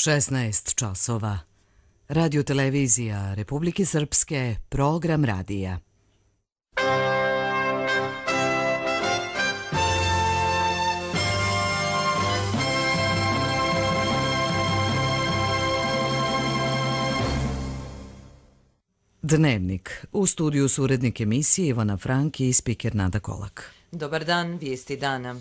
16 časova. Radio-televizija Republike Srpske, program radija. Dnevnik. U studiju su urednik emisije Ivana Franki i spiker Nada Kolak. Dobar dan, vijesti dana.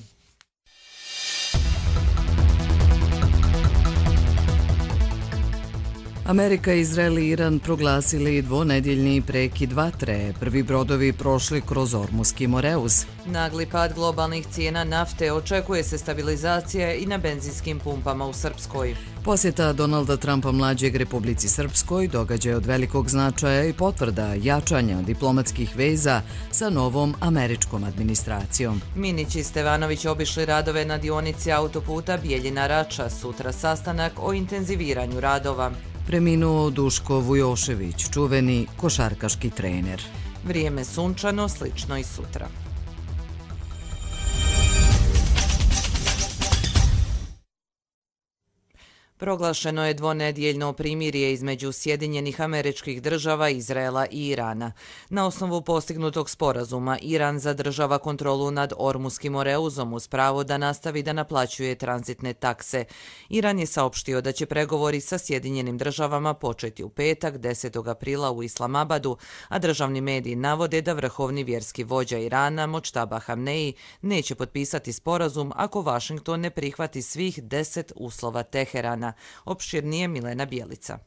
Amerika, Izrael i Iran proglasili dvonedjeljni prekid vatre. Prvi brodovi prošli kroz Ormuski Moreuz. Nagli pad globalnih cijena nafte, očekuje se stabilizacija i na benzinskim pumpama u Srpskoj. Posjeta Donalda Trumpa mlađeg Republici Srpskoj događaj od velikog značaja i potvrda jačanja diplomatskih veza sa novom američkom administracijom. Minić i Stevanović obišli radove na dionici autoputa Bijeljina-Rača, sutra sastanak o intenziviranju radova. Preminuo Duško Vujošević, čuveni košarkaški trener. Vrijeme sunčano, slično i sutra. Proglašeno je dvonedjeljno primirje između Sjedinjenih Američkih Država, Izraela i Irana. Na osnovu postignutog sporazuma, Iran zadržava kontrolu nad Ormuskim Moreuzom uz pravo da nastavi da naplaćuje tranzitne takse. Iran je saopštio da će pregovori sa Sjedinjenim Državama početi u petak, 10. aprila u Islamabadu, a državni mediji navode da vrhovni vjerski vođa Irana, Močtaba Hamneji, neće potpisati sporazum ako Vašington ne prihvati svih 10 uslova Teherana. Opširnije Milena Bjelica.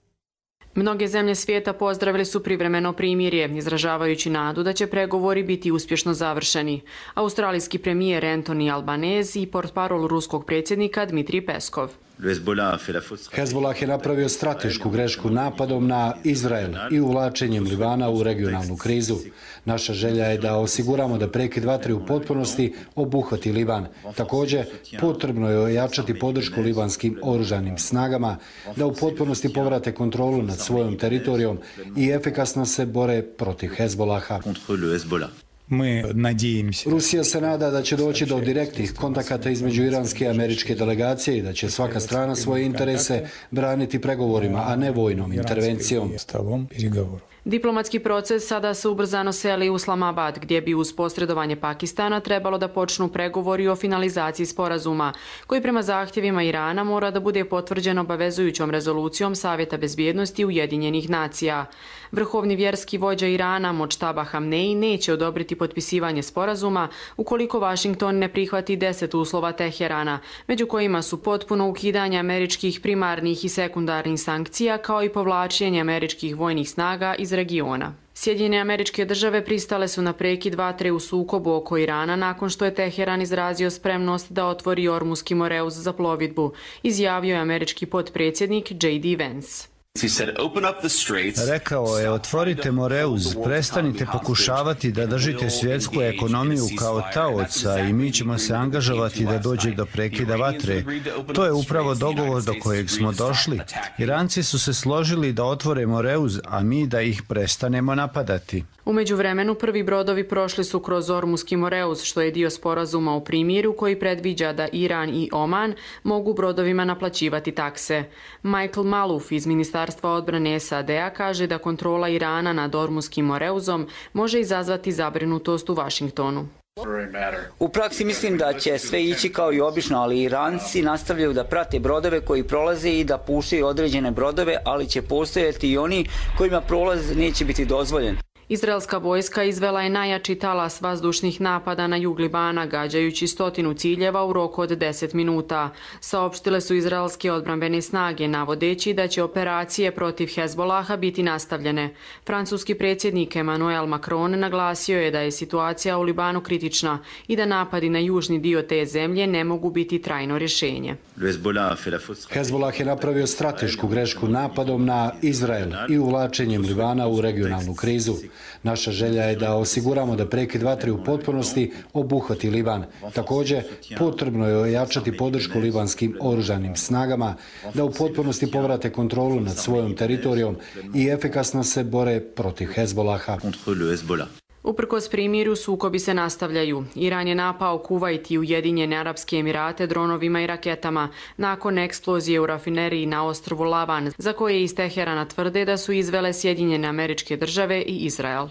Mnoge zemlje svijeta pozdravili su privremeno primirje, izražavajući nadu da će pregovori biti uspješno završeni. Australijski premijer Anthony Albanese i portparol ruskog predsjednika Dmitrij Peskov. Hezbollah je napravio stratešku grešku napadom na Izrael i uvlačenjem Libana u regionalnu krizu. Naša želja je da osiguramo da prekid vatre u potpunosti obuhvati Liban. Također, potrebno je ojačati podršku libanskim oružanim snagama, da u potpunosti povrate kontrolu nad svojom teritorijom i efikasno se bore protiv Hezbollaha. Rusija se nada da će doći do direktnih kontakata između iranske i američke delegacije i da će svaka strana svoje interese braniti pregovorima, a ne vojnom intervencijom. Diplomatski proces sada se ubrzano seli u Islamabad, gdje bi uz posredovanje Pakistana trebalo da počnu pregovori o finalizaciji sporazuma, koji prema zahtjevima Irana mora da bude potvrđen obavezujućom rezolucijom Savjeta bezbjednosti Ujedinjenih nacija. Vrhovni vjerski vođa Irana, Močtaba Hamneji, neće odobriti potpisivanje sporazuma ukoliko Vašington ne prihvati 10 uslova Teherana, među kojima su potpuno ukidanje američkih primarnih i sekundarnih sankcija, kao i povlačenje američkih vojnih snaga iz regiona. Sjedinjene Američke Države pristale su na prekid vatre u sukobu oko Irana nakon što je Teheran izrazio spremnost da otvori Ormuski Moreuz za plovidbu, izjavio je američki potpredsjednik J.D. Vance. Rekao je, otvorite Moreuz, prestanite pokušavati da držite svjetsku ekonomiju kao taoca i mi ćemo se angažovati da dođe do prekida vatre. To je upravo dogovor do kojeg smo došli. Iranci su se složili da otvore Moreuz, a mi da ih prestanemo napadati. U međuvremenu prvi brodovi prošli su kroz Ormuski Moreuz, što je dio sporazuma o primiru koji predviđa da Iran i Oman mogu brodovima naplaćivati takse. Michael Maluf iz Ministarstva odbrane SAD-a kaže da kontrola Irana nad Ormuskim Moreuzom može izazvati zabrinutost u Vašingtonu. U praksi mislim da će sve ići kao i obično, ali Iranci nastavljaju da prate brodove koji prolaze i da puštaju određene brodove, ali će postojati i oni kojima prolaz neće biti dozvoljen. Izraelska vojska izvela je najjači talas vazdušnih napada na jug Libana, gađajući 100 ciljeva u roku od 10 minuta. Saopštile su izraelske odbrambene snage, navodeći da će operacije protiv Hezbollaha biti nastavljene. Francuski predsjednik Emmanuel Macron naglasio je da je situacija u Libanu kritična i da napadi na južni dio te zemlje ne mogu biti trajno rješenje. Hezbollah je napravio stratešku grešku napadom na Izrael i uvlačenjem Libana u regionalnu krizu. Naša želja je da osiguramo da prekid vatre u potpunosti obuhvati Liban. Također, potrebno je ojačati podršku libanskim oružanim snagama, da u potpunosti povrate kontrolu nad svojom teritorijom i efikasno se bore protiv Hezbollaha. Uprkos primirju, sukobi se nastavljaju. Iran je napao Kuvajt i Ujedinjene Arapske Emirate dronovima i raketama nakon eksplozije u rafineriji na ostrvu Lavan, za koje iz Teherana tvrde da su izvele Sjedinjene Američke Države i Izrael.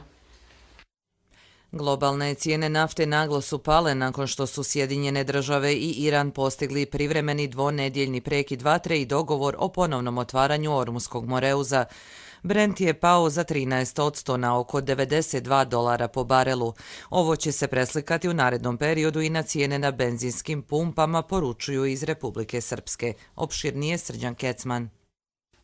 Globalne cijene nafte naglo su pale nakon što su Sjedinjene Države i Iran postigli privremeni dvonedjeljni prekid vatre i dogovor o ponovnom otvaranju Ormuskog moreuza. Brent je pao za 13% na oko $92 po barelu. Ovo će se preslikati u narednom periodu i na cijene na benzinskim pumpama, poručuju iz Republike Srpske. Opširnije Srđan Kecman.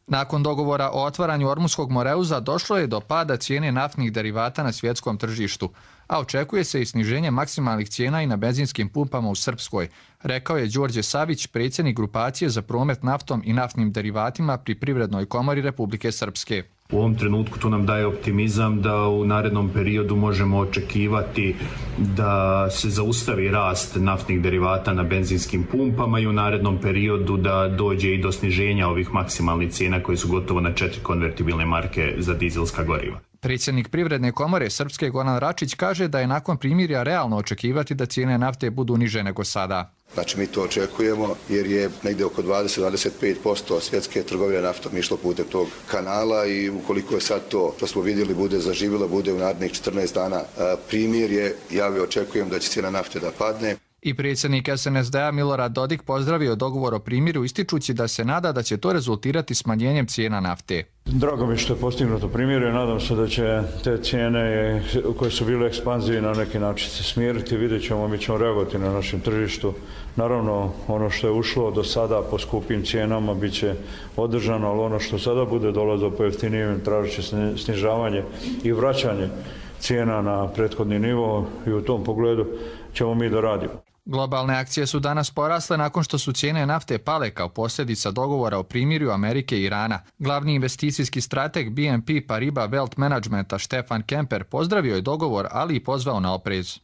Nakon dogovora o otvaranju Ormuskog moreuza došlo je do pada cijene naftnih derivata na svjetskom tržištu, a očekuje se i sniženje maksimalnih cijena i na benzinskim pumpama u Srpskoj, rekao je Đorđe Savić, predsjednik grupacije za promet naftom i naftnim derivatima pri Privrednoj komori Republike Srpske. U ovom trenutku to nam daje optimizam da u narednom periodu možemo očekivati da se zaustavi rast naftnih derivata na benzinskim pumpama i u narednom periodu da dođe i do sniženja ovih maksimalnih cijena koje su gotovo na 4 konvertibilne marke za dizelska goriva. Predsjednik Privredne komore Srpske Goran Račić kaže da je nakon primirja realno očekivati da cijene nafte budu niže nego sada. Znači mi to očekujemo jer je negdje oko 20-25% svjetske trgovine naftom išlo putem tog kanala i ukoliko je sad to što smo vidjeli bude zaživjelo, bude u narednih 14 dana primirje, ja očekujem da će cijena nafte da padne. I predsjednik SNSD-a Milorad Dodik pozdravio dogovor o primiru ističući da se nada da će to rezultirati smanjenjem cijena nafte. Drago mi što je postignuto primirje, nadam se da će te cijene koje su bile ekspanzije na neki način se smiriti, vidjet ćemo, mi ćemo reagovati na našem tržištu. Naravno, ono što je ušlo do sada po skupim cijenama bit će održano, ali ono što sada bude dolazilo po jeftinijem tražit će snižavanje i vraćanje cijena na prethodni nivo i u tom pogledu ćemo mi da radimo. Globalne akcije su danas porasle nakon što su cijene nafte pale kao posljedica dogovora o primirju Amerike i Irana. Glavni investicijski strateg BNP Paribas Wealth Managementa Stefan Kemper pozdravio je dogovor, ali i pozvao na oprez.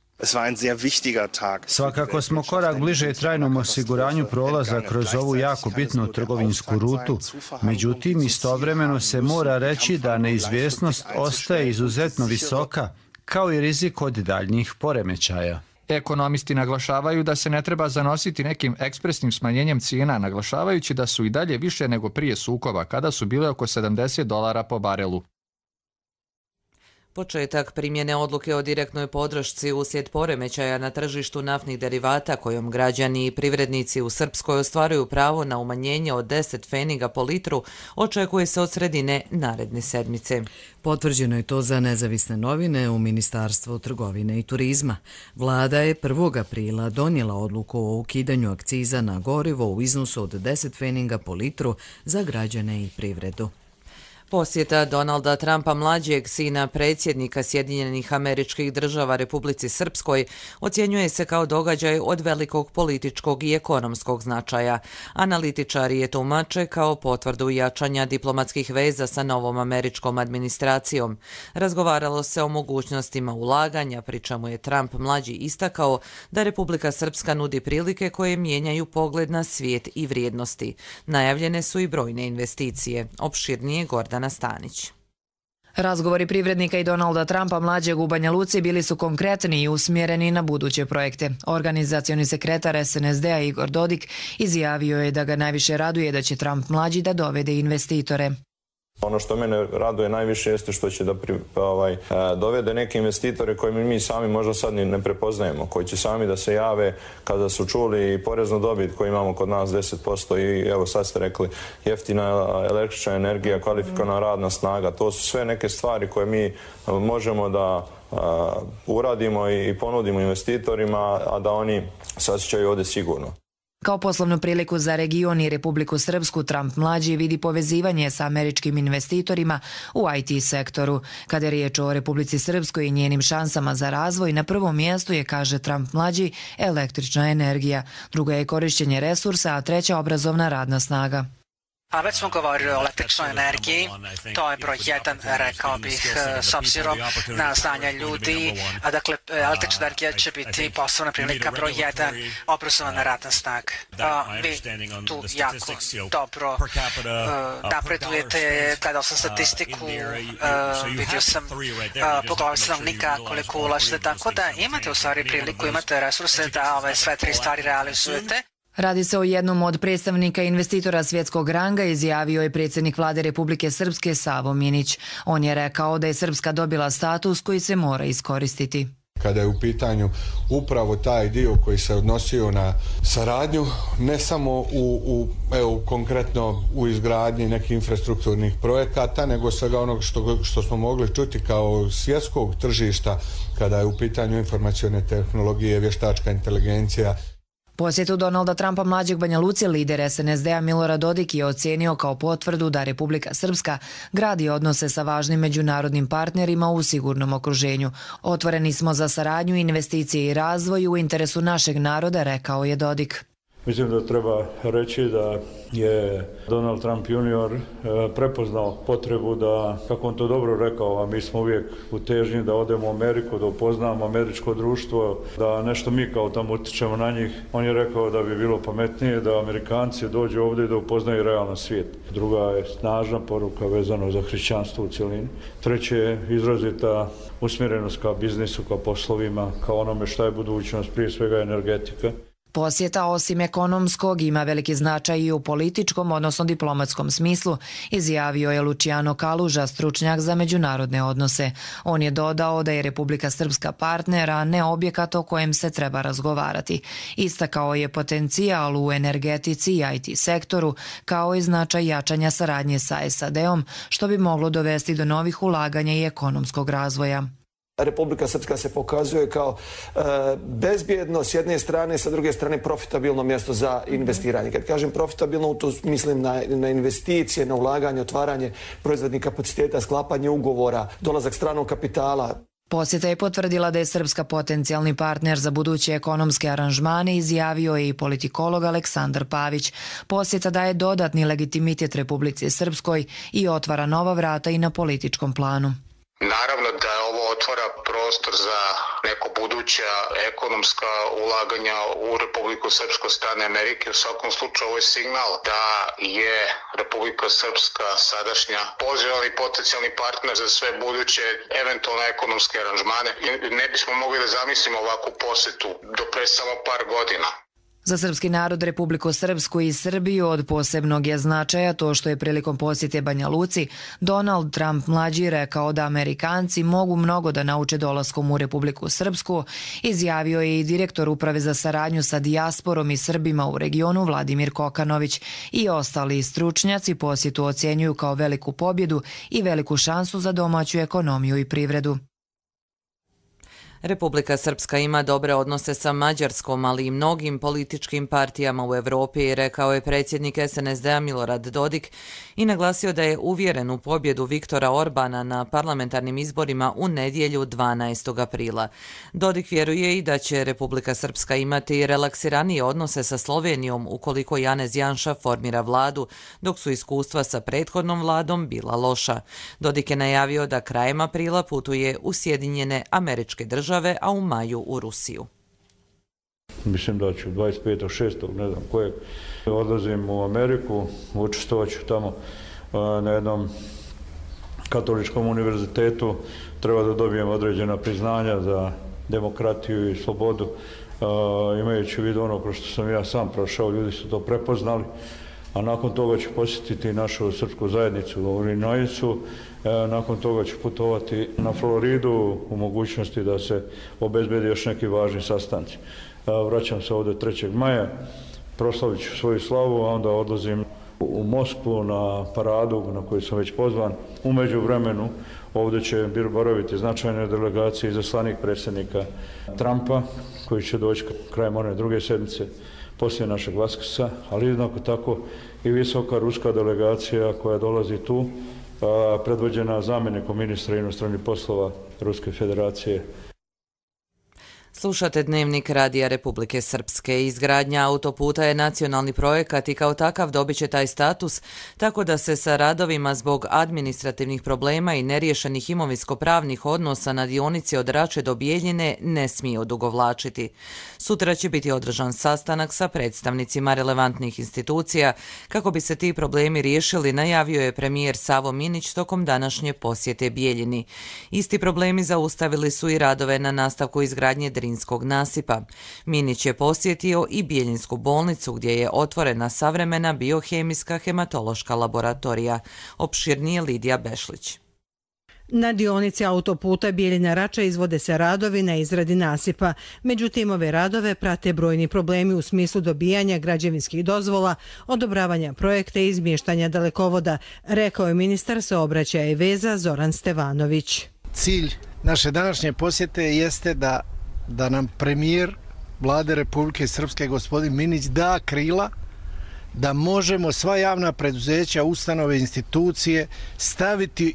Svakako smo korak bliže trajnom osiguranju prolaza kroz ovu jako bitnu trgovinsku rutu. Međutim, istovremeno se mora reći da neizvjesnost ostaje izuzetno visoka, kao i rizik od daljnjih poremećaja. Ekonomisti naglašavaju da se ne treba zanositi nekim ekspresnim smanjenjem cijena, naglašavajući da su i dalje više nego prije sukoba, kada su bile oko $70 po barelu. Početak primjene odluke o direktnoj podršci uslijed poremećaja na tržištu naftnih derivata kojom građani i privrednici u Srpskoj ostvaruju pravo na umanjenje od 10 pfeniga po litru očekuje se od sredine naredne sedmice. Potvrđeno je to za Nezavisne novine u Ministarstvu trgovine i turizma. Vlada je 1. aprila donijela odluku o ukidanju akciza na gorivo u iznosu od 10 pfeniga po litru za građane i privredu. Posjeta Donalda Trumpa, mlađeg sina predsjednika Sjedinjenih Američkih Država Republici Srpskoj, ocjenjuje se kao događaj od velikog političkog i ekonomskog značaja. Analitičari je tumače kao potvrdu jačanja diplomatskih veza sa novom američkom administracijom. Razgovaralo se o mogućnostima ulaganja, pri čemu je Trump mlađi istakao da Republika Srpska nudi prilike koje mijenjaju pogled na svijet i vrijednosti. Najavljene su i brojne investicije. Opširnije Gordana Stanić. Razgovori privrednika i Donalda Trumpa mlađeg u Banja Luci bili su konkretni i usmjereni na buduće projekte. Organizacioni sekretar SNSD-a Igor Dodik izjavio je da ga najviše raduje da će Trump mlađi da dovede investitore. Ono što mene raduje najviše jeste što će da dovede neke investitore koje mi sami možda sad ne prepoznajemo, koji će sami da se jave kada su čuli poreznu dobit koju imamo kod nas 10% i evo sad ste rekli jeftina električna energija, kvalifikovana radna snaga. To su sve neke stvari koje mi možemo da uradimo i ponudimo investitorima, a da oni se osjećaju ovdje sigurno. Kao poslovnu priliku za region i Republiku Srpsku, Trump mlađi vidi povezivanje sa američkim investitorima u IT sektoru. Kada je riječ o Republici Srpskoj i njenim šansama za razvoj, na prvom mjestu je, kaže Trump mlađi, električna energija. Druga je korišćenje resursa, a treća obrazovna radna snaga. A već smo govorili o električnoj energiji, to je broj 1, rekao bih, s obzirom na znanja ljudi. Dakle, električna energija će biti poslovna prilika broj 1, obrazovana radna snaga. Vi tu jako dobro napredujete, gledao sam statistiku, vidio sam po glavi stanovnika koliko ulažete, tako da imate u stvari priliku, imate resurse da ove sve 3 stvari realizujete. Radi se o jednom od predstavnika investitora svjetskog ranga, izjavio je predsjednik vlade Republike Srpske Savo Minić. On je rekao da je Srpska dobila status koji se mora iskoristiti. Kada je u pitanju upravo taj dio koji se odnosio na saradnju, ne samo konkretno u izgradnji nekih infrastrukturnih projekata, nego svega onog što smo mogli čuti kao svjetskog tržišta kada je u pitanju informacione tehnologije, vještačka inteligencija. Posjetu Donalda Trumpa mlađeg Banja Luci lider SNSD-a Milorad Dodik je ocenio kao potvrdu da Republika Srpska gradi odnose sa važnim međunarodnim partnerima u sigurnom okruženju. Otvoreni smo za saradnju, investicije i razvoj u interesu našeg naroda, rekao je Dodik. Mislim da treba reći da je Donald Trump junior prepoznao potrebu da, kako on to dobro rekao, a mi smo uvijek u težnji da odemo u Ameriku, da upoznamo američko društvo, da nešto mi kao tamo utječemo na njih. On je rekao da bi bilo pametnije da Amerikanci dođu ovdje i da upoznaju realan svijet. Druga je snažna poruka vezano za hrišćanstvo u cjelini. Treće je izrazita usmjerenost ka biznisu, ka poslovima, kao onome šta je budućnost, prije svega energetika. Posjeta osim ekonomskog ima veliki značaj i u političkom, odnosno diplomatskom smislu, izjavio je Luciano Kaluža, stručnjak za međunarodne odnose. On je dodao da je Republika Srpska partner, a ne objekat o kojem se treba razgovarati. Istakao je potencijal u energetici i IT sektoru, kao i značaj jačanja saradnje sa SAD-om, što bi moglo dovesti do novih ulaganja i ekonomskog razvoja. Republika Srpska se pokazuje kao bezbjedno s jedne strane, sa druge strane profitabilno mjesto za investiranje. Kad kažem profitabilno, tu mislim na investicije, na ulaganje, otvaranje proizvodnih kapaciteta, sklapanje ugovora, dolazak stranog kapitala. Posjeta je potvrdila da je Srpska potencijalni partner za buduće ekonomske aranžmane, izjavio je i politikolog Aleksandar Pavić. Posjeta daje dodatni legitimitet Republici Srpskoj i otvara nova vrata i na političkom planu. Naravno da ovo otvara prostor za neko buduća ekonomska ulaganja u Republiku Srpsku strane Amerike. U svakom slučaju ovo je signal da je Republika Srpska sadašnja pozivalni potencijalni partner za sve buduće eventualne ekonomske aranžmane. Ne bismo mogli da zamislimo ovakvu posjetu do pre samo par godina. Za srpski narod, Republiku Srpsku i Srbiju od posebnog je značaja to što je prilikom posjete Banja Luci Donald Trump mlađi rekao da Amerikanci mogu mnogo da nauče dolaskom u Republiku Srpsku, izjavio je i direktor Uprave za saradnju sa dijasporom i Srbima u regionu Vladimir Kokanović. I ostali stručnjaci posjetu ocjenjuju kao veliku pobjedu i veliku šansu za domaću ekonomiju i privredu. Republika Srpska ima dobre odnose sa Mađarskom, ali i mnogim političkim partijama u Evropi, rekao je predsjednik SNSD-a Milorad Dodik i naglasio da je uvjeren u pobjedu Viktora Orbana na parlamentarnim izborima u nedjelju 12. aprila. Dodik vjeruje i da će Republika Srpska imati relaksiranije odnose sa Slovenijom ukoliko Janez Janša formira vladu, dok su iskustva sa prethodnom vladom bila loša. Dodik je najavio da krajem aprila putuje u Sjedinjene Američke Države, a u maju u Rusiju. Mislim da ću 25.6. ne znam kojeg odlazim u Ameriku, učestvovat ću tamo na jednom katoličkom univerzitetu. Treba da dobijem određena priznanja za demokratiju i slobodu. Imajući u vidu ono kroz što sam ja sam prošao, ljudi su to prepoznali. A nakon toga ću posjetiti našu srpsku zajednicu u Illinoisu. Nakon toga ću putovati na Floridu u mogućnosti da se obezbedi još neki važni sastanci. Vraćam se ovdje 3. maja, proslavit ću svoju slavu, a onda odlazim u Moskvu na paradu na koju sam već pozvan. U međuvremenu ovdje će boraviti značajne delegacije izaslanik predsjednika Trumpa, koji će doći krajem one druge sedmice poslije našeg Vaskrsa, ali jednako tako i visoka ruska delegacija koja dolazi tu, predvođena zamjenikom ministra inostranih poslova Ruske federacije. Slušate Dnevnik Radija Republike Srpske. Izgradnja autoputa je nacionalni projekat i kao takav dobit će taj status, tako da se sa radovima zbog administrativnih problema i neriješenih imovinsko-pravnih odnosa na dionici od Rače do Bijeljine ne smije odugovlačiti. Sutra će biti održan sastanak sa predstavnicima relevantnih institucija. Kako bi se ti problemi riješili, najavio je premijer Savo Minić tokom današnje posjete Bijeljini. Isti problemi zaustavili su i radove na nastavku izgradnje Drinskog nasipa. Minić je posjetio i Bijeljinsku bolnicu gdje je otvorena savremena biohemijska hematološka laboratorija. Opširnije Lidija Bešlić. Na dionici autoputa Bijeljina-Rača izvode se radovi na izradi nasipa. Međutim, ove radove prate brojni problemi u smislu dobijanja građevinskih dozvola, odobravanja projekta i izmještanja dalekovoda, rekao je ministar saobraćaja i veza Zoran Stevanović. Cilj naše današnje posjete jeste da nam premijer Vlade Republike Srpske gospodin Minić da krila da možemo sva javna preduzeća, ustanove, institucije staviti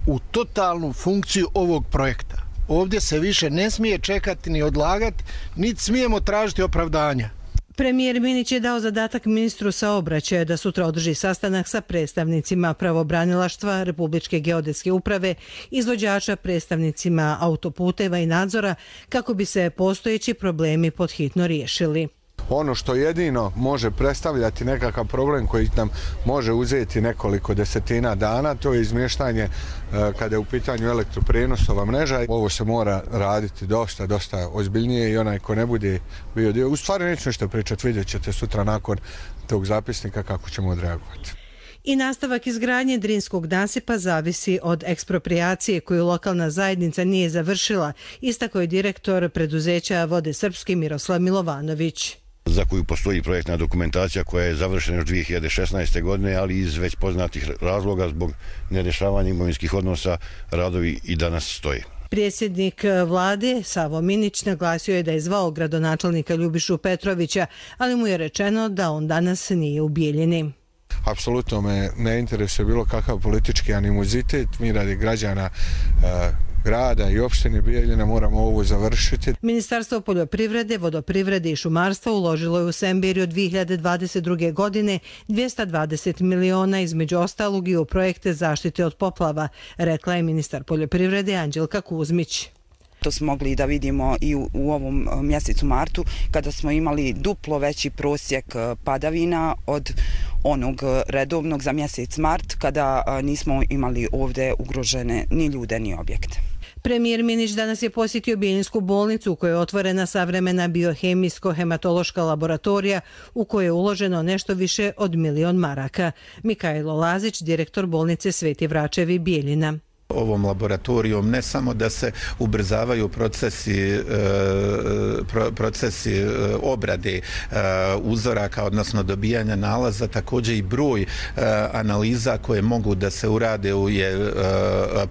u totalnu funkciju ovog projekta. Ovdje se više ne smije čekati ni odlagati, niti smijemo tražiti opravdanja. Premijer Minić je dao zadatak ministru saobraćaja da sutra održi sastanak sa predstavnicima pravobranilaštva, Republičke geodetske uprave, izvođača, predstavnicima autoputeva i nadzora kako bi se postojeći problemi podhitno riješili. Ono što jedino može predstavljati nekakav problem koji nam može uzeti nekoliko desetina dana, to je izmještanje kada je u pitanju elektroprijenosova mreža. Ovo se mora raditi dosta ozbiljnije i onaj ko ne bude bio dio. U stvari neću nešto pričati, vidjet ćete sutra nakon tog zapisnika kako ćemo odreagovati. I nastavak izgradnje Drinskog nasipa zavisi od eksproprijacije koju lokalna zajednica nije završila, istakao je direktor preduzeća Vode Srpske Miroslav Milovanović. Za koju postoji projektna dokumentacija koja je završena još 2016. godine, ali iz već poznatih razloga zbog nerješavanja imovinskih odnosa radovi i danas stoje. Predsjednik vlade Savo Minić naglasio je da je zvao gradonačelnika Ljubišu Petrovića, ali mu je rečeno da on danas nije u Bijeljini. Apsolutno me ne interesuje bilo kakav politički animozitet. Mi radi građana grada i opštine Bijeljina moramo ovo završiti. Ministarstvo poljoprivrede, vodoprivrede i šumarstva uložilo je u Semberiju 2022. godine 220 miliona između ostalog i u projekte zaštite od poplava, rekla je ministar poljoprivrede Anđelka Kuzmić. To smo mogli da vidimo i u ovom mjesecu martu kada smo imali duplo veći prosjek padavina od onog redovnog za mjesec mart kada nismo imali ovdje ugrožene ni ljude ni objekte. Premijer Minić danas je posjetio Bijeljinsku bolnicu u kojoj je otvorena savremena biohemijsko-hematološka laboratorija u kojoj je uloženo nešto više od 1 milion maraka. Mikajlo Lazić, direktor bolnice Sveti Vračevi Bijeljina. Ovom laboratorijom ne samo da se ubrzavaju procesi obrade uzoraka, odnosno dobijanja nalaza, također i broj analiza koje mogu da se urade je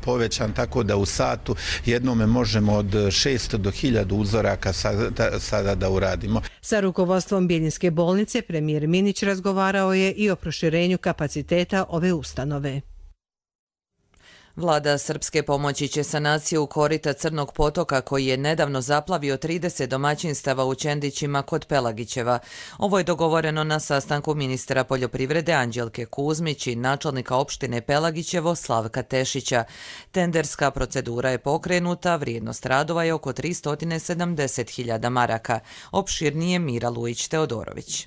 povećan, tako da u satu jednome možemo od 600 do 1000 uzoraka sada da uradimo. Sa rukovodstvom Bijeljinske bolnice premijer Minić razgovarao je i o proširenju kapaciteta ove ustanove. Vlada Srpske pomoći će sanaciju korita Crnog potoka koji je nedavno zaplavio 30 domaćinstava u Čendićima kod Pelagićeva. Ovo je dogovoreno na sastanku ministra poljoprivrede Anđelke Kuzmić i načelnika opštine Pelagićevo Slavka Tešića. Tenderska procedura je pokrenuta, vrijednost radova je oko 370.000 maraka. Opširnije Mira Lujić-Teodorović.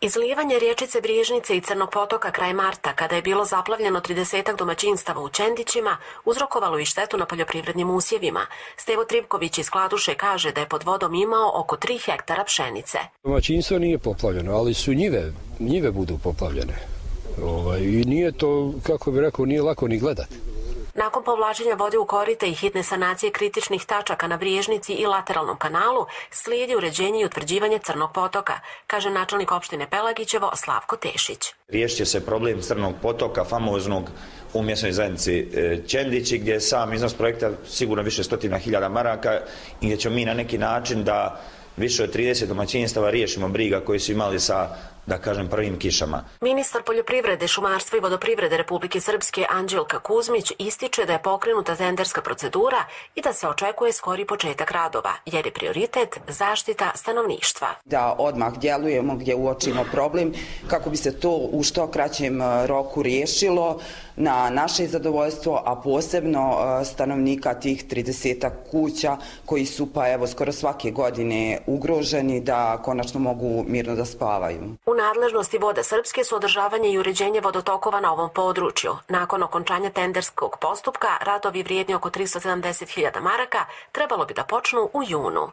Izlijevanje riječice Briježnice i Crnog potoka kraj marta, kada je bilo zaplavljeno 30 domaćinstava u Čendićima, uzrokovalo i štetu na poljoprivrednim usjevima. Stevo Trivković iz Kladuše kaže da je pod vodom imao oko 3 hektara pšenice. Domaćinstvo nije poplavljeno, ali su njive budu poplavljene. I nije to, kako bih rekao, nije lako ni gledati. Nakon povlačenja vode u korite i hitne sanacije kritičnih tačaka na Briježnici i lateralnom kanalu, slijedi uređenje i utvrđivanje Crnog potoka, kaže načelnik opštine Pelagićevo Slavko Tešić. Riješit će se problem Crnog potoka, famoznog u mjesnoj zajednici Čendići, gdje je sam iznos projekta sigurno više 100.000 maraka i gdje ćemo mi na neki način da više od 30 domaćinstava riješimo briga koji su imali sa da kažem, prvim kišama. Ministar poljoprivrede, šumarstva i vodoprivrede Republike Srpske Anđelka Kuzmić ističe da je pokrenuta tenderska procedura i da se očekuje skori početak radova, jer je prioritet zaštita stanovništva. Da odmah djelujemo gdje uočimo problem kako bi se to u što kraćem roku riješilo na naše zadovoljstvo, a posebno stanovnika tih 30 kuća koji su pa evo skoro svake godine ugroženi da konačno mogu mirno da spavaju. U nadležnosti Voda Srpske su održavanje i uređenje vodotokova na ovom području. Nakon okončanja tenderskog postupka, radovi vrijedni oko 370.000 maraka trebalo bi da počnu u junu.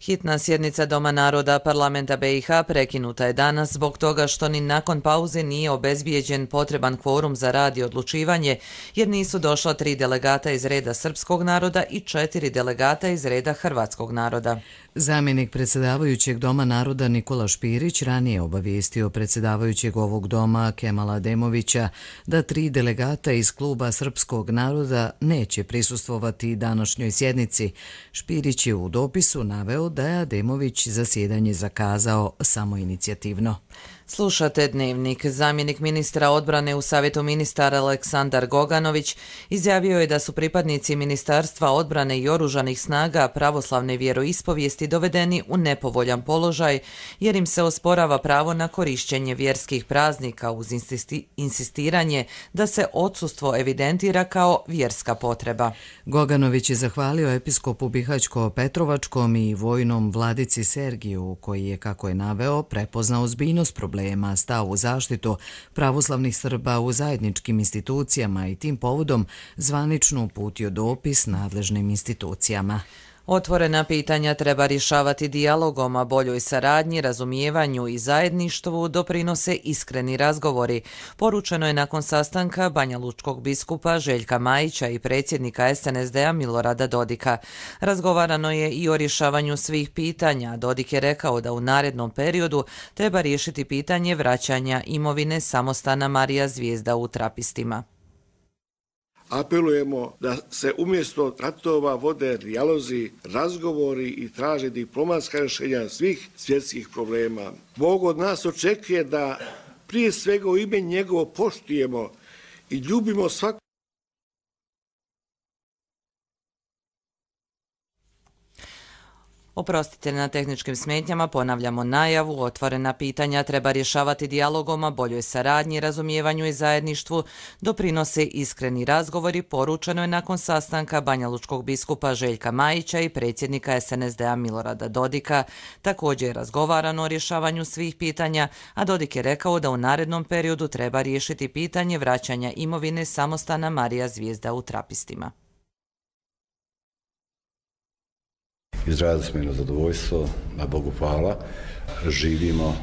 Hitna sjednica Doma naroda Parlamenta BiH prekinuta je danas zbog toga što ni nakon pauze nije obezbijeđen potreban kvorum za rad i odlučivanje, jer nisu došla 3 delegata iz reda srpskog naroda i 4 delegata iz reda hrvatskog naroda. Zamjenik predsjedavajućeg Doma naroda Nikola Špirić ranije obavijestio predsjedavajućeg ovog doma Kemala Ademovića da 3 delegata iz kluba srpskog naroda neće prisustvovati današnjoj sjednici. Špirić je u dopisu naveo da je Ademović zasjedanje zakazao samoinicijativno. Slušate Dnevnik. Zamjenik ministra odbrane u Savjetu ministara Aleksandar Goganović izjavio je da su pripadnici Ministarstva odbrane i oružanih snaga pravoslavne vjeroispovijesti dovedeni u nepovoljan položaj jer im se osporava pravo na korišćenje vjerskih praznika uz insistiranje da se odsustvo evidentira kao vjerska potreba. Goganović je zahvalio episkopu Bihaćko-Petrovačkom i vojnom vladici Sergiju koji je, kako je naveo, prepoznao ozbiljnost problema, stao u zaštitu pravoslavnih Srba u zajedničkim institucijama i tim povodom zvanično uputio dopis nadležnim institucijama. Otvorena pitanja treba rješavati dijalogom, a boljoj saradnji, razumijevanju i zajedništvu doprinose iskreni razgovori. Poručeno je nakon sastanka banjalučkog biskupa Željka Majića i predsjednika SNSD-a Milorada Dodika. Razgovarano je i o rješavanju svih pitanja. Dodik je rekao da u narednom periodu treba riješiti pitanje vraćanja imovine samostana Marija Zvijezda u Trapistima. Apelujemo da se umjesto ratova vode dijalozi, razgovori i traže diplomatska rješenja svih svjetskih problema. Bog od nas očekuje da prije svega u ime njegovo poštujemo i ljubimo svakog. Oprostite na tehničkim smetnjama, ponavljamo najavu, otvorena pitanja treba rješavati dijalogom, a boljoj saradnji, razumijevanju i zajedništvu doprinose iskreni razgovori, poručeno je nakon sastanka banjalučkog biskupa Željka Majića i predsjednika SNSD-a Milorada Dodika. Također je razgovarano o rješavanju svih pitanja, a Dodik je rekao da u narednom periodu treba riješiti pitanje vraćanja imovine samostana Marija Zvijezda u Trapistima. Izrazili smo jedno zadovoljstvo, na Bogu hvala, živimo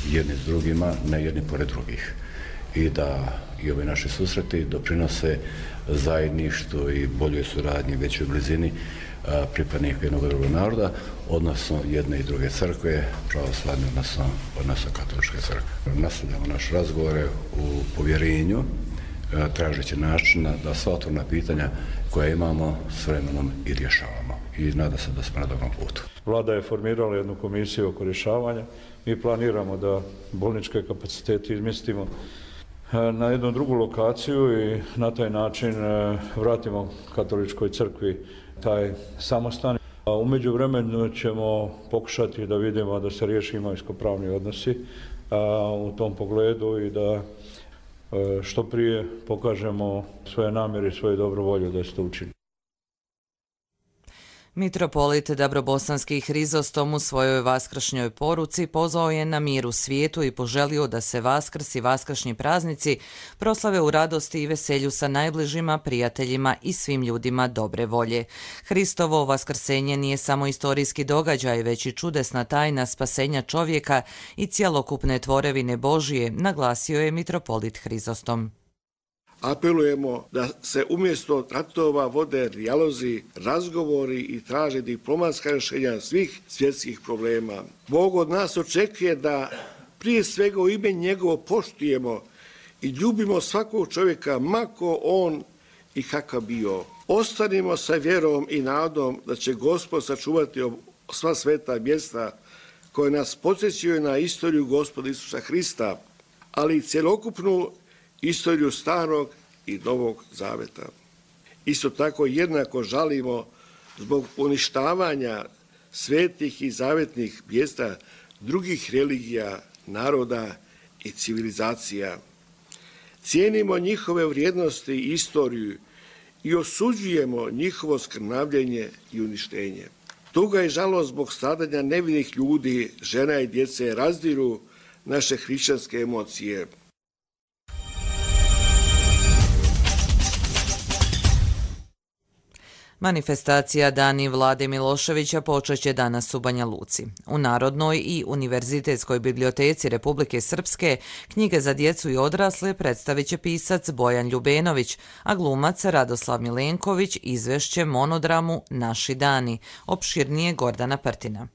jedni s drugima, ne jedni pored drugih. I da i ove naše susreti doprinose zajedništvu i boljoj suradnji, većoj blizini pripadnika jednog i drugog naroda, odnosno jedne i druge crkve, pravoslavne, odnosno katoličke crkve. Nastavljamo naše razgovore u povjerenju, tražeći načina da sva otvorena pitanja koja imamo s vremenom i rješavamo. I nada se da smo na dobrom putu. Vlada je formirala jednu komisiju oko rješavanja. Mi planiramo da bolničke kapacitete izmjestimo na jednu drugu lokaciju i na taj način vratimo katoličkoj crkvi taj samostan. U međuvremenu ćemo pokušati da vidimo da se riješi imovinsko-pravni odnosi u tom pogledu i da što prije pokažemo svoje namjere i svoju dobru volju da se to učini. Mitropolit Dabrobosanski Hrizostom u svojoj vaskršnjoj poruci pozvao je na mir u svijetu i poželio da se Vaskrs i vaskršnji praznici proslave u radosti i veselju sa najbližima, prijateljima i svim ljudima dobre volje. Hristovo vaskrsenje nije samo istorijski događaj, već i čudesna tajna spasenja čovjeka i cjelokupne tvorevine Božije, naglasio je mitropolit Hrizostom. Apelujemo da se umjesto ratova vode dijalozi, razgovori i traže diplomatska rješenja svih svjetskih problema. Bog od nas očekuje da prije svega u ime njegovo poštujemo i ljubimo svakog čovjeka, mako on i kakav bio. Ostanimo sa vjerom i nadom da će Gospod sačuvati sva sveta mjesta koje nas podsjećaju na istoriju Gospoda Isusa Hrista, ali i cjelokupnu istoriju Starog i Novog Zaveta. Isto tako jednako žalimo zbog uništavanja svetih i zavetnih mjesta drugih religija, naroda i civilizacija. Cijenimo njihove vrijednosti i istoriju i osuđujemo njihovo skrnavljenje i uništenje. Tuga i žalost zbog stradanja nevinih ljudi, žena i djece razdiru naše hrišćanske emocije. Manifestacija Dani Vlade Miloševića počet će danas u Banja Luci. U Narodnoj i Univerzitetskoj biblioteci Republike Srpske knjige za djecu i odrasle predstavit će pisac Bojan Ljubenović, a glumac Radoslav Milenković izvešće monodramu Naši dani, opširnije Gordana Prtina.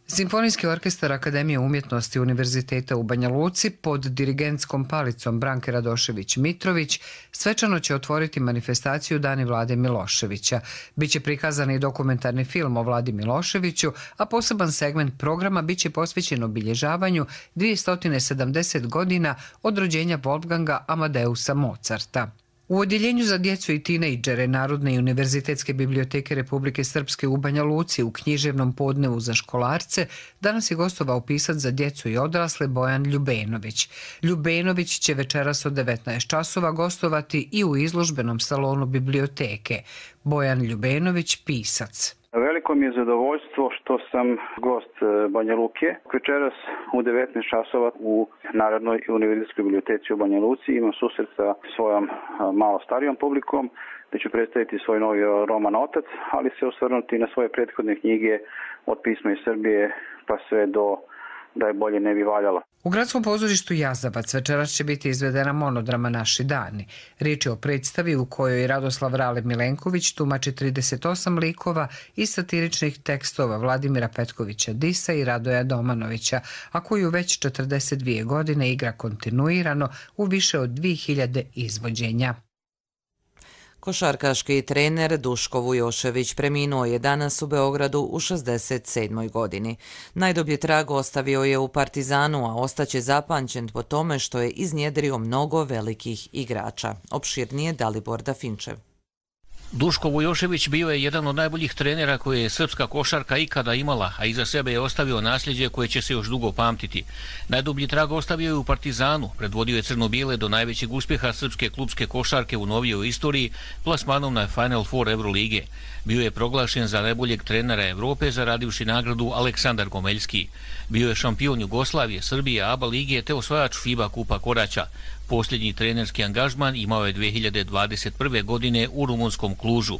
Simfonijski orkestar Akademije umjetnosti Univerziteta u Banja Luci pod dirigentskom palicom Branke Radošević-Mitrović svečano će otvoriti manifestaciju Dani Vlade Miloševića. Biće prikazan i dokumentarni film o Vladi Miloševiću, a poseban segment programa biće posvećen obilježavanju 270 godina od rođenja Wolfganga Amadeusa Mozarta. U odjeljenju za djecu i tinejdžere Narodne i Univerzitetske biblioteke Republike Srpske u Banja Luci u književnom podnevu za školarce danas je gostovao pisac za djecu i odrasle Bojan Ljubenović. Ljubenović će večeras od 19 časova gostovati i u izložbenom salonu biblioteke. Bojan Ljubenović, pisac. Veliko mi je zadovoljstvo što sam gost Banja Luke. Večeras u 19 časova u Narodnoj i Univerzitetskoj biblioteci u Banja Luci imam susret sa svojom malo starijom publikom, gdje ću predstaviti svoj novi roman Otac, ali se osvrnuti na svoje prethodne knjige od Pisma iz Srbije pa sve do Da je bolje ne bi valjalo. U gradskom pozorištu Jazavac večeras će biti izvedena monodrama Naši dani. Riječ je o predstavi u kojoj Radoslav Rale Milenković tumači 38 likova i satiričnih tekstova Vladimira Petkovića Disa i Radoja Domanovića, a koju već 42 godine igra kontinuirano u više od 2000 izvođenja. Košarkaški trener Duško Vujošević preminuo je danas u Beogradu u 67. godini. Najdublji trag ostavio je u Partizanu, a ostaće zapamćen po tome što je iznjedrio mnogo velikih igrača. Opširnije Dalibor Dafinčev. Duško Vujošević bio je jedan od najboljih trenera koje je srpska košarka ikada imala, a iza sebe je ostavio nasljeđe koje će se još dugo pamtiti. Najdublji trag ostavio je u Partizanu, predvodio je crno-bijele do najvećeg uspjeha srpske klubske košarke u novijoj istoriji, plasmanom na Final Four Evrolige. Bio je proglašen za najboljeg trenera Evrope, zaradivši nagradu Aleksandar Gomeljski. Bio je šampion Jugoslavije, Srbije, ABA lige te osvajač FIBA kupa Koraća. Posljednji trenerski angažman imao je 2021. godine u rumunskom Klužu.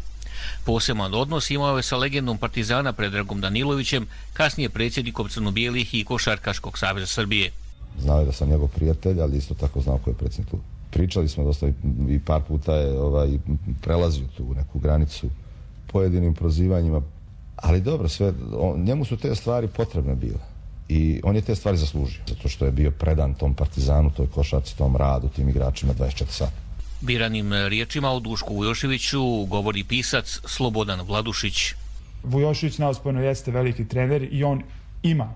Poseban odnos imao je sa legendom Partizana Predragom Danilovićem, kasnije predsjednikom Crno-bijelih i Košarkaškog saveza Srbije. Znao je da sam njegov prijatelj, ali isto tako znao ko je predsjednik kluba. Pričali smo dosta i par puta je prelazio tu neku granicu pojedinim prozivanjima, ali dobro, njemu su te stvari potrebne bile. I on je te stvari zaslužio, zato što je bio predan tom Partizanu, toj košarci, tom radu, tim igračima 24 sata. Biranim riječima o Dušku Vujoševiću govori pisac Slobodan Vladušić. Vujošević neosporno jeste veliki trener i on ima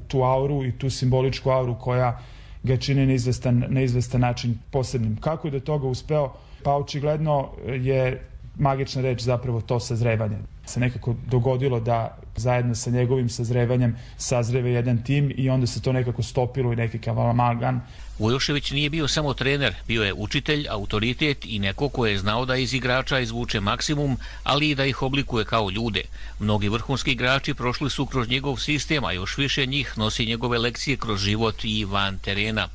tu auru i tu simboličku auru koja ga čini na izvestan način posebnim. Kako je do toga uspeo? Pa očigledno je magična reč zapravo to sazrevanje. Se nekako dogodilo da zajedno sa njegovim sazrevanjem sazreve jedan tim i onda se to nekako stopilo i neki kavalamagan. Vujošević nije bio samo trener, bio je učitelj, autoritet i neko ko je znao da iz igrača izvuče maksimum, ali i da ih oblikuje kao ljude. Mnogi vrhunski igrači prošli su kroz njegov sistem, a još više njih nosi njegove lekcije kroz život i van terena.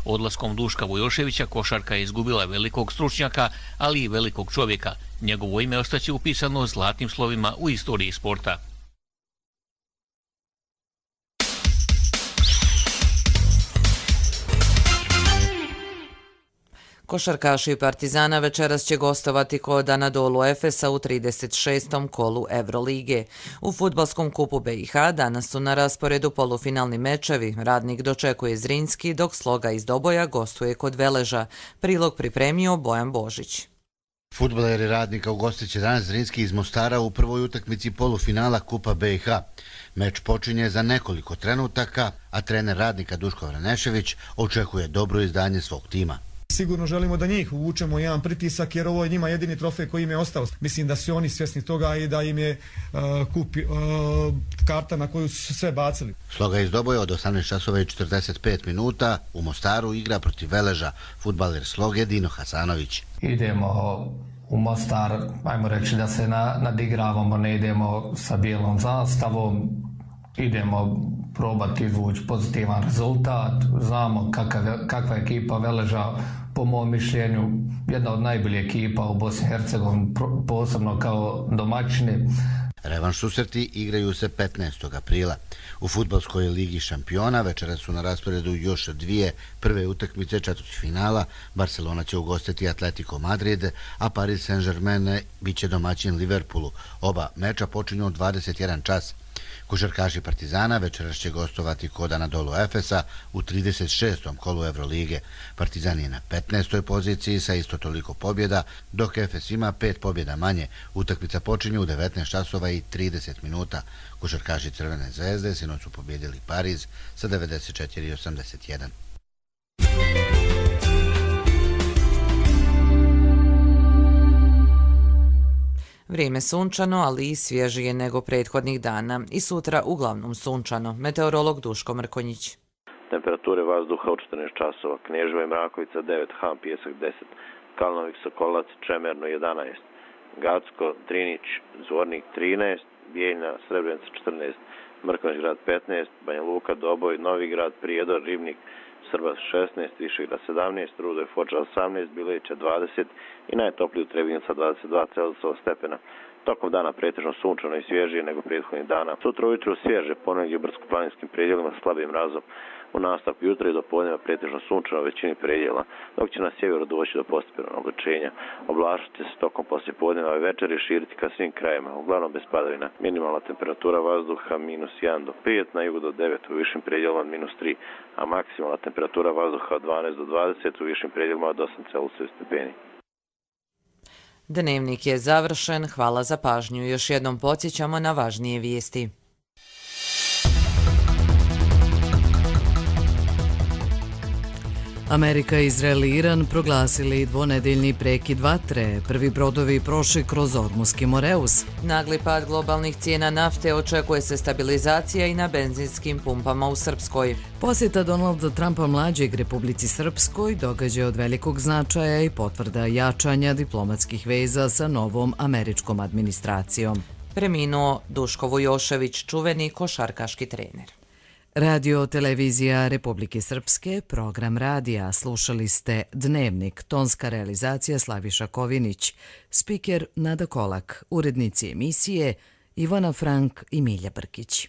Odlaskom Duška Vujoševića košarka je izgubila velikog stručnjaka, ali i velikog čovjeka. Njegovo ime ostaće upisano zlatnim slovima u istoriji sporta. Košarkaši Partizana večeras će gostovati kod Anadolu Efesa u 36. kolu Evrolige. U fudbalskom kupu BiH danas su na rasporedu polufinalni mečevi. Radnik dočekuje Zrinski, dok Sloga iz Doboja gostuje kod Veleža. Prilog pripremio Bojan Božić. Fudbaleri Radnika ugostit će danas Zrinski iz Mostara u prvoj utakmici polufinala Kupa BiH. Meč počinje za nekoliko trenutaka, a trener Radnika Duško Vranešević očekuje dobro izdanje svog tima. Sigurno želimo da njih uvučemo jedan pritisak jer ovo je njima jedini trofej koji im je ostao. Mislim da su oni svjesni toga i da im je karta na koju su sve bacili. Sloga iz Doboja od 18:45 minuta u Mostaru igra protiv Veleža fudbaler Sloge Dino Hasanović. Idemo u Mostar, ajmo reći da se nadigravamo, ne idemo sa bijelom zastavom, idemo probati izvući pozitivan rezultat. Znamo kakva je ekipa Veleža, po mom mišljenju, jedna od najboljih ekipa u Bosni i Hercegovini, posebno kao domaćini. Revanš susreti igraju se 15. aprila. U fudbalskoj ligi šampiona večeras su na rasporedu još dvije prve utakmice četvrtfinala. Barcelona će ugostiti Atletico Madrid, a Paris Saint-Germain biće domaćin Liverpoolu. Oba meča počinju u 21 čas. Košarkaši Partizana večeras će gostovati kod Anadolu Efesa u 36. kolu Evrolige. Partizan je na 15. poziciji sa isto toliko pobjeda, dok Efes ima 5 pobjeda manje. Utakmica počinje u 19 časova i 30 minuta. Košarkaši Crvene zvezde sinoć su pobjedili Pariz sa 94-81. Vrijeme sunčano, ali i svježije nego prethodnih dana. I sutra uglavnom sunčano. Meteorolog Duško Mrkonjić. Temperature vazduha od 14 časova. Knježeva i Mrakovica 9, Ham, Pijesak 10, Kalnovik, Sokolac, Čemerno 11, Gacko, Drinić, Zvornik 13, Bijeljna, Srebrenica 14, Mrkonjić grad 15, Banja Luka, Doboj, Novi grad, Prijedor, Ribnik, Srbas 16, Višegrad 17, Rudo i Foča 18, Bilevića 20 i najtopliji u Trebinjica 22 Celzijusova stepena. Tokom dana pretežno sunčano i svježije nego prethodnih dana. Sutra ujutru svježe, ponegdje u brdsko-planinskim predjelima s slabim mrazom. U nastavku jutra i do podneva pretežno sunčano u većini predjela, dok će na sjeveru doći do postepenog oblačenja. Oblačiti se tokom poslijepodneva i večeri širiti ka svim krajima, uglavnom bez padavina. Minimalna temperatura vazduha -1 do 5, na jugu do 9, u višim predjelima -3, a maksimalna temperatura vazduha od 12 do 20, u višim predjelima od 8 Celzijusovih stepeni. Dnevnik je završen, hvala za pažnju. Još jednom podsjećamo na važnije vijesti. Amerika, Izrael i Iran proglasili dvonedeljni prekid vatre. Prvi brodovi prošli kroz Ormuski Moreus. Nagli pad globalnih cijena nafte, očekuje se stabilizacija i na benzinskim pumpama u Srpskoj. Posjeta Donalda Trumpa mlađeg Republici Srpskoj događaj od velikog značaja i potvrda jačanja diplomatskih veza sa novom američkom administracijom. Preminuo Duško Vujošević, čuveni košarkaški trener. Radio Televizija Republike Srpske, program radija. Slušali ste Dnevnik, tonska realizacija Slaviša Kovinić, spiker Nada Kolak, urednici emisije Ivana Frank i Milja Brkić.